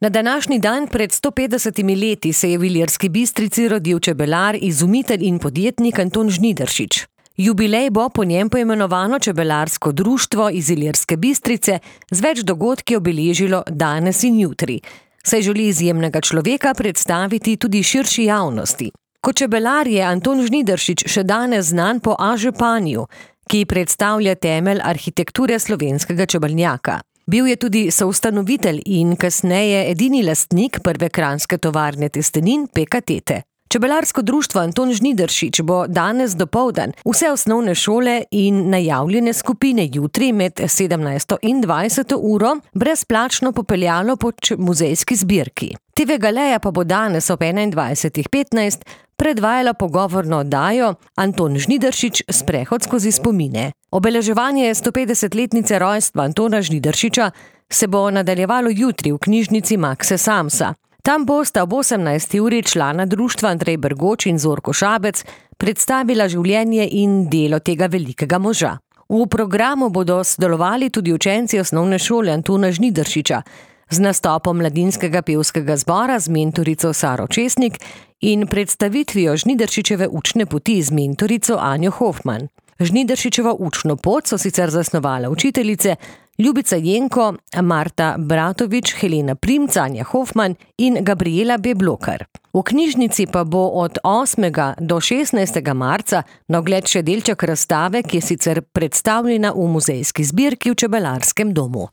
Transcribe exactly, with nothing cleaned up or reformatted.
Na današnji dan pred sto petdesetimi leti se je v Ilirski Bistrici rodil čebelar, izumitelj in podjetnik Anton Žnidaršič. Jubilej bo po njem poimenovano Čebelarsko društvo iz Ilirske Bistrice z več dogodki obeležilo danes in jutri, saj želi izjemnega človeka predstaviti tudi širši javnosti. Kot čebelar je Anton Žnidaršič še danes znan po A-županiju, ki predstavlja temelj arhitekture slovenskega čebelnjaka. Bil je tudi soustanovitelj in kasneje edini lastnik prve kranjske tovarne testenin Peka Tete. Čebelarsko društvo Anton Žnidaršič bo danes dopoldan vse osnovne šole in najavljene skupine jutri med sedemnajsto in dvajseto uro brezplačno popeljalo po muzejski zbirki. Te ve Galeja pa bo danes ob enaindvajsetih petnajst predvajala pogovorno oddajo Anton Žnidaršič sprehod skozi spomine. Obeleževanje stopetdesetletnice rojstva Antona Žnidaršiča se bo nadaljevalo jutri v knjižnici Makse Samsa. Tam bosta ob osemnajsti uri člana društva Andrej Bergoč in Zorko Šabec predstavila življenje in delo tega velikega moža. V programu bodo sodelovali tudi učenci osnovne šole Antona Žnidaršiča z nastopom mladinskega pevskega zbora z mentorico Saro Česnik in predstavitvijo Žnidaršičeve učne poti z mentorico Anjo Hofman. Žnidaršičevo učno pot so sicer zasnovale učiteljice Ljubica Jenko, Marta Bratovič, Helena Primc, Anja Hofman in Gabriela Beblokar. V knjižnici pa bo od osmega do šestnajstega marca na ogled še delček razstave, ki je sicer predstavljena v muzejski zbirki v Čebelarskem domu.